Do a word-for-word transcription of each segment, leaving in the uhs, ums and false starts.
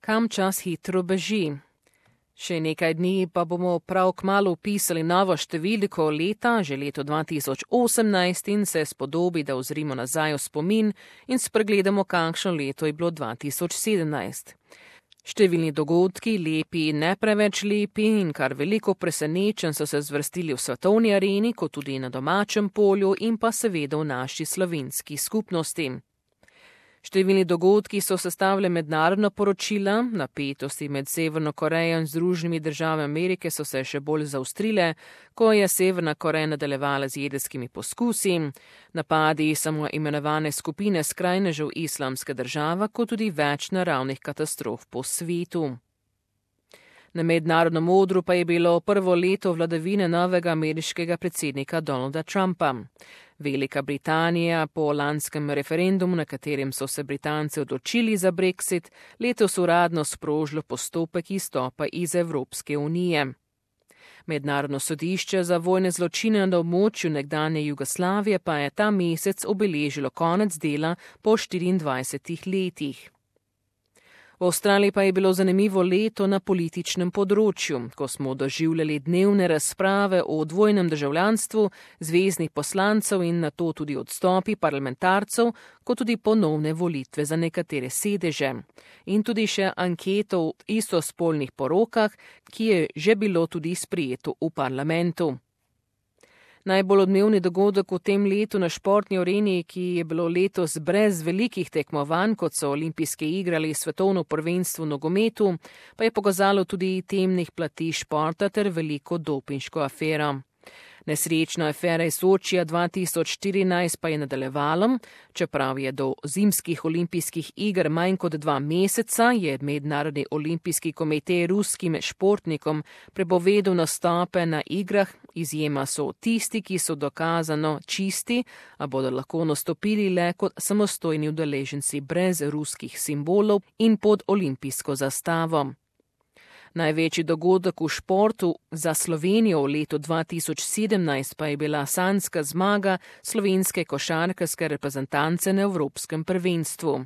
Kam čas hitro beži? Še nekaj dni pa bomo prav kmalu vpisali novo številko leta, že leto dva tisoč osemnajst, in se spodobi, da ozrimo nazaj v spomin in spregledamo, kakšno leto je bilo dva tisoč sedemnajst. Številni dogodki, lepi in ne preveč lepi, in kar veliko presenečenj so se zvrstili v svetovni areni, kot tudi na domačem polju in pa seveda v naši slovenski skupnosti. Številni dogodki so sestavljali mednarodna poročila, napetosti med Severno Korejo in Združenimi državami Amerike so se še bolj zaostrile, ko je Severna Koreja nadaljevala z jedrskimi poskusi, napadi samo imenovane skupine skrajnežev Islamska država, kot tudi več naravnih katastrof po svetu. Na mednarodnem odru pa je bilo prvo leto vladavine novega ameriškega predsednika Donalda Trumpa. Velika Britanija po lanskem referendumu, na katerem so se Britanci odločili za Brexit, letos uradno sprožilo postopek izstopa iz Evropske unije. Mednarodno sodišče za vojne zločine na območju nekdanje Jugoslavije pa je ta mesec obeležilo konec dela po štiriindvajsetih letih. V Avstraliji pa je bilo zanimivo leto na političnem področju, ko smo doživljali dnevne razprave o dvojnem državljanstvu, zveznih poslancev in nato tudi odstopi parlamentarcev, kot tudi ponovne volitve za nekatere sedeže. In tudi še anketo o istospolnih porokah, ki je že bilo tudi sprejeto v parlamentu. Najbolj odmevni dogodek v tem letu na športni areni, ki je bilo letos brez velikih tekmovanj, kot so olimpijske igre ali svetovno prvenstvo v nogometu, pa je pokazalo tudi temnih plati športa ter veliko dopinško afero. Nesrečna afera iz Sočija dva tisoč štirinajst pa je nadaljevalo, čeprav je do zimskih olimpijskih iger manj kot dva meseca, je Mednarodni olimpijski komitej ruskim športnikom prepovedal nastope na igrah, izjema so tisti, ki so dokazano čisti, a bodo lahko nastopili le kot samostojni udeleženci brez ruskih simbolov in pod olimpijsko zastavo. Največji dogodek v športu za Slovenijo v letu dva tisoč sedemnajst pa je bila sanjska zmaga slovenske košarkarske reprezentance na Evropskem prvenstvu.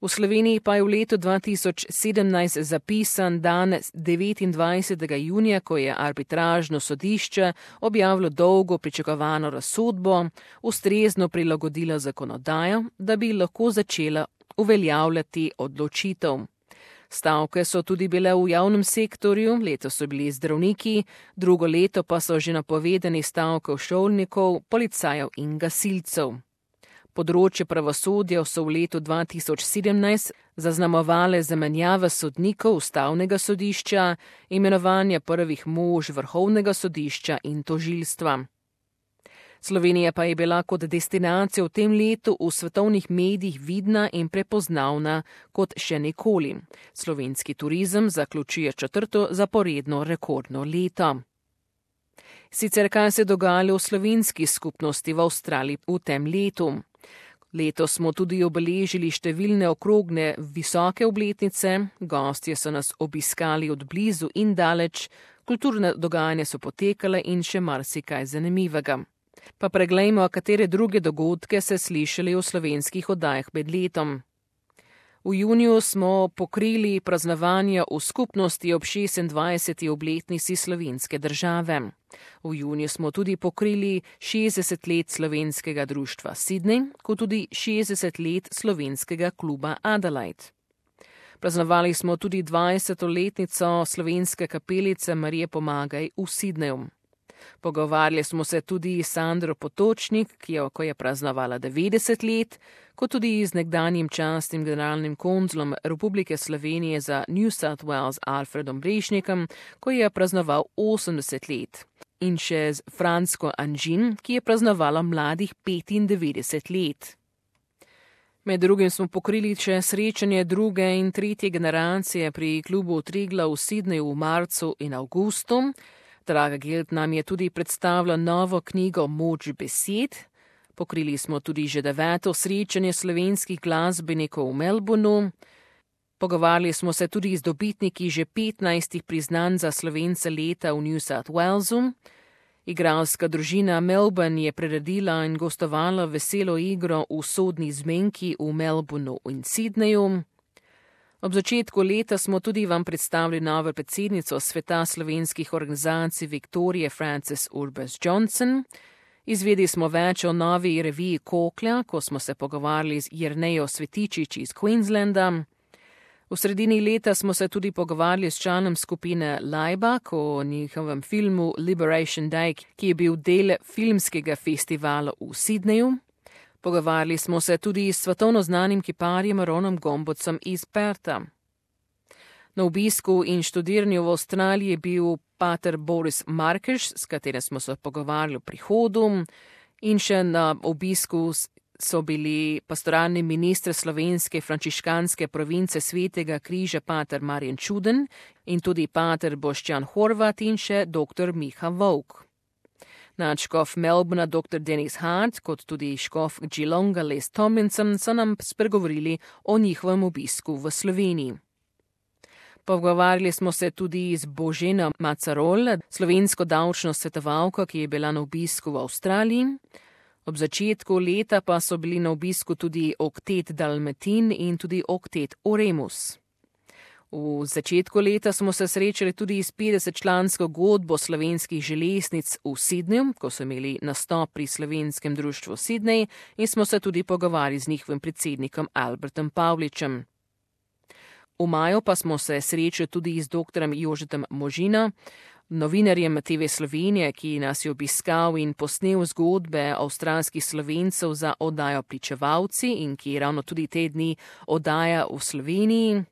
V Sloveniji pa je v letu dva tisoč sedemnajst zapisan dan devetindvajsetega junija, ko je arbitražno sodišče objavilo dolgo pričakovano razsodbo, ustrezno prilagodilo zakonodajo, da bi lahko začela uveljavljati odločitev. Stavke so tudi bile v javnem sektorju, letos so bili zdravniki, drugo leto pa so že napovedani stavke šolnikov, policajev in gasilcev. Področje pravosodja so v letu dva tisoč sedemnajst zaznamovale zamenjave sodnikov ustavnega sodišča, imenovanja prvih mož vrhovnega sodišča in tožilstva. Slovenija pa je bila kot destinacija v tem letu v svetovnih medijih vidna in prepoznavna kot še nikoli. Slovenski turizem zaključuje četrto zaporedno rekordno leto. Sicer kaj se dogajalo v slovenski skupnosti v Avstraliji v tem letu? Letos smo tudi obeležili številne okrogne visoke obletnice, gostje so nas obiskali od blizu in daleč, kulturne dogajanja so potekale in še marsikaj zanimivega. Pa preglejmo, katere druge dogodke se slišali v slovenskih oddajah med letom. V juniju smo pokrili praznovanja v skupnosti ob šestindvajseti obletnici slovenske države. V juniju smo tudi pokrili šestdeset let slovenskega društva Sydney, kot tudi šestdeset let slovenskega kluba Adelaide. Praznovali smo tudi dvajseto letnico slovenske kapelice Marije Pomagaj v Sydneyju. Pogovarjali smo se tudi s Sandro Potočnik, ki je, ko je praznovala devetdeset let, kot tudi z nekdanjim častnim generalnim konzulom Republike Slovenije za New South Wales Alfredom Brešnikom, ko je praznoval osemdeset let. In še z Fransko Anžin, ki je praznovala mladih petindevetdeset let. Med drugim smo pokrili še srečanje druge in tretje generacije pri klubu Triglav v Sydneyju v marcu in avgustu. Draga Geld nam je tudi predstavila novo knjigo Moč besed. Pokrili smo tudi že deveto srečanje slovenskih glasbenikov v Melbourneu. Pogovarjali smo se tudi z dobitniki že petnajstih priznanj za Slovence leta v New South Walesu. Igralska družina Melbourne je priredila in gostovala veselo igro v sodni zmenki v Melbourneu in Sydneyju. Ob začetku leta smo tudi vam predstavili novo predsednico Sveta slovenskih organizacij Viktorije Frances Urbas Johnson. Izvedeli smo več o novi reviji Koklja, ko smo se pogovarjali z Jernejo Svetičič iz Queenslanda. V sredini leta smo se tudi pogovarjali s članom skupine Laibach o njihovem filmu Liberation Day, ki je bil del filmskega festivala v Sydneyju. Pogovarjali smo se tudi s svetovno znanim kiparjem Ronom Gombocem iz Pertha. Na obisku in študiranju v Avstraliji je bil pater Boris Markeš, s katerim smo se pogovarjali o prihodu, in še na obisku so bili pastoralni minister slovenske frančiškanske province Svetega križa pater Marjan Čuden in tudi pater Boštjan Horvat in še doktor Miha Vovk. Nadškof Melbourna doktor Denis Hart, kot tudi škof Geelonga Les Tomlinson so nam spregovorili o njihovem obisku v Sloveniji. Pogovarjali smo se tudi z Boženo Macarol, slovensko davčno svetovalko, ki je bila na obisku v Avstraliji. Ob začetku leta pa so bili na obisku tudi oktet Dalmatin in tudi oktet Oremus. V začetku leta smo se srečali tudi s petdesetčlansko godbo slovenskih železnic v Sydneyju, ko so imeli nastop pri Slovenskem društvu Sydney in smo se tudi pogovarjali z njihovim predsednikom Albertom Pavličem. V maju pa smo se srečali tudi z doktorom Jožetom Možino, novinarjem T V Slovenije, ki nas je obiskal in posnel zgodbe avstralskih Slovencev za oddajo Pričevalci in ki ravno tudi te dni oddaja v Sloveniji.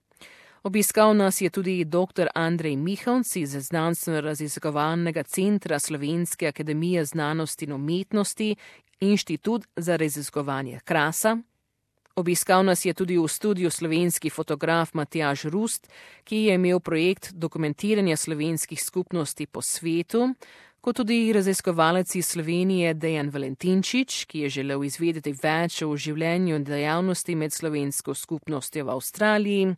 Obiskal nas je tudi doktor Andrej Mihovc iz Znanstveno-raziskovalnega centra Slovenske akademije znanosti in umetnosti, Inštitut za raziskovanje Krasa. Obiskal nas je tudi v studiu slovenski fotograf Matjaž Rust, ki je imel projekt dokumentiranja slovenskih skupnosti po svetu, kot tudi raziskovalec iz Slovenije Dejan Valentinčič, ki je želel izvedeti več o življenju in dejavnosti med slovensko skupnostjo v Avstraliji.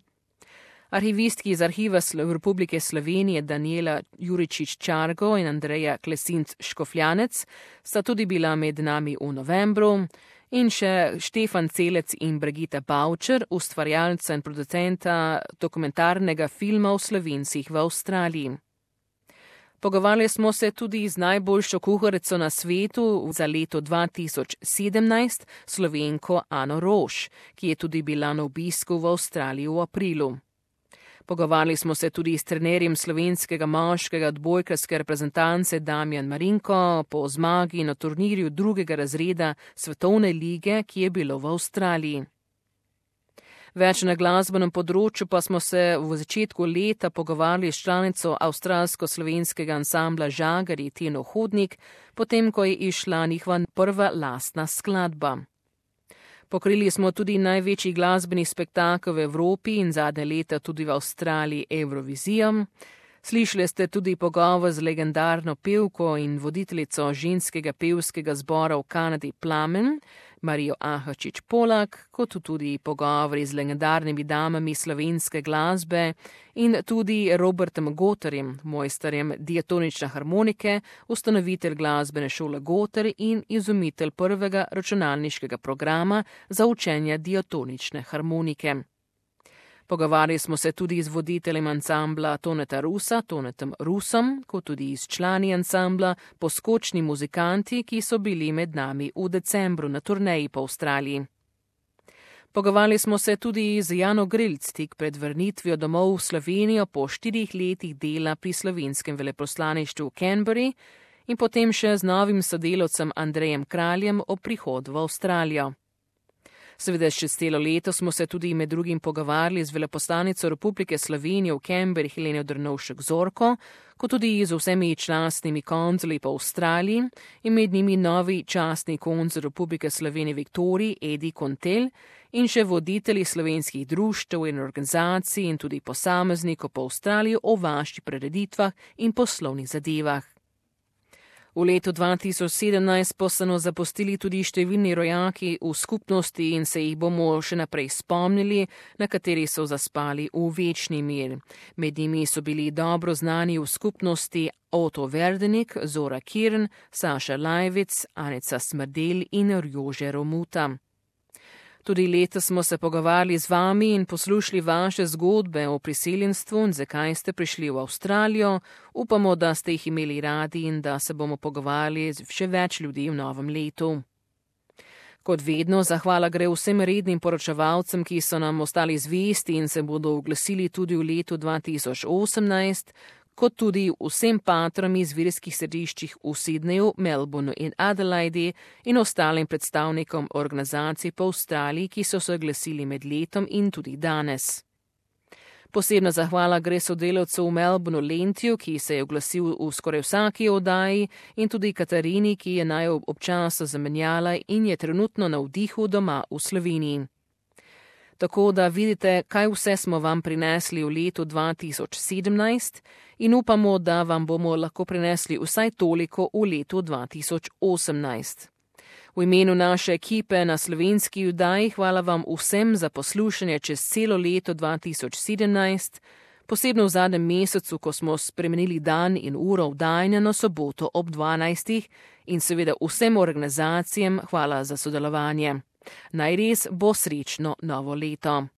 Arhivistki iz Arhiva Republike Slovenije Daniela Juričič-Čargo in Andreja Klesinc Škofljanec sta tudi bila med nami v novembru. In še Štefan Celec in Brigita Bavčer, ustvarjalca in producenta dokumentarnega filma o Slovencih v Avstraliji. Pogovarjali smo se tudi z najboljšo kuharico na svetu za leto dva tisoč sedemnajst, Slovenko Ano Roš, ki je tudi bila na obisku v Avstraliji v aprilu. Pogovarjali smo se tudi s trenerjem slovenskega moškega odbojkarske reprezentance Damjan Marinko po zmagi na turnirju drugega razreda Svetovne lige, ki je bilo v Avstraliji. Več na glasbenem področju pa smo se v začetku leta pogovarjali s članico avstralsko-slovenskega ansambla Žagarji Tino Hodnik, potem ko je išla njihova prva lastna skladba. Pokrili smo tudi največji glasbeni spektakel v Evropi in zadnje leta tudi v Avstraliji Eurovizijo. Slišali ste tudi pogovor z legendarno pevko in voditeljico ženskega pevskega zbora v Kanadi Plamen, Marijo Ahačič Polak, kot tudi pogovori z legendarnimi damami slovenske glasbe in tudi Robertom Goterjem, mojsterjem diatonične harmonike, ustanovitelj glasbene šole Goter in izumitelj prvega računalniškega programa za učenje diatonične harmonike. Pogovarjali smo se tudi z voditeljem ansambla Toneta Rusa, Tonetom Rusom, kot tudi s člani ansambla Poskočni muzikanti, ki so bili med nami v decembru na turneji po Avstraliji. Pogovarjali smo se tudi z Jano Grilc tik pred vrnitvijo domov v Slovenijo po štirih letih dela pri slovenskem veleposlaništvu v Canberri in potem še z novim sodelavcem Andrejem Kraljem o prihodu v Avstralijo. Seveda še celo leto smo se tudi med drugim pogovarjali z veleposlanico Republike Slovenije v Canberri Heleno Drnovšek Zorko, kot tudi z vsemi častnimi konzuli po Avstraliji in med njimi novi častni konzul Republike Slovenije Viktoriji Edi Kontel in še voditelji slovenskih društev in organizacij in tudi posameznikov po Avstraliji o vaših prireditvah in poslovnih zadevah. V letu dva tisoč sedemnajst pa so nas zapustili tudi številni rojaki v skupnosti in se jih bomo še naprej spomnili, na kateri so zaspali v večni mir. Med njimi so bili dobro znani v skupnosti Otto Verdenik, Zora Kirn, Saša Lajvic, Anica Smrdel in Jože Romuta. Tudi letos smo se pogovarjali z vami in poslušali vaše zgodbe o priseljenstvu in zakaj ste prišli v Avstralijo. Upamo, da ste jih imeli radi in da se bomo pogovarjali z še več ljudi v novem letu. Kot vedno, zahvala gre vsem rednim poročevalcem, ki so nam ostali zvesti in se bodo oglasili tudi v letu dva tisoč osemnajst, kot tudi vsem patrom iz verskih središčih v Sydneyju, Melbourneu in Adelaidi in ostalim predstavnikom organizacij po Avstraliji, ki so se oglasili med letom in tudi danes. Posebna zahvala gre sodelavcu v Melbourneu Lentiju, ki se je oglasil v skoraj vsaki oddaji, in tudi Katarini, ki je naj občasno zamenjala in je trenutno na vdihu doma v Sloveniji. Tako da vidite, kaj vse smo vam prinesli v letu dva tisoč sedemnajst in upamo, da vam bomo lahko prinesli vsaj toliko v letu dva tisoč osemnajst. V imenu naše ekipe na slovenski oddaji hvala vam vsem za poslušanje čez celo leto dva tisoč sedemnajst, posebno v zadnjem mesecu, ko smo spremenili dan in uro vdajanja na soboto ob dvanajstih in seveda vsem organizacijam hvala za sodelovanje. Naj res bo srečno novo leto.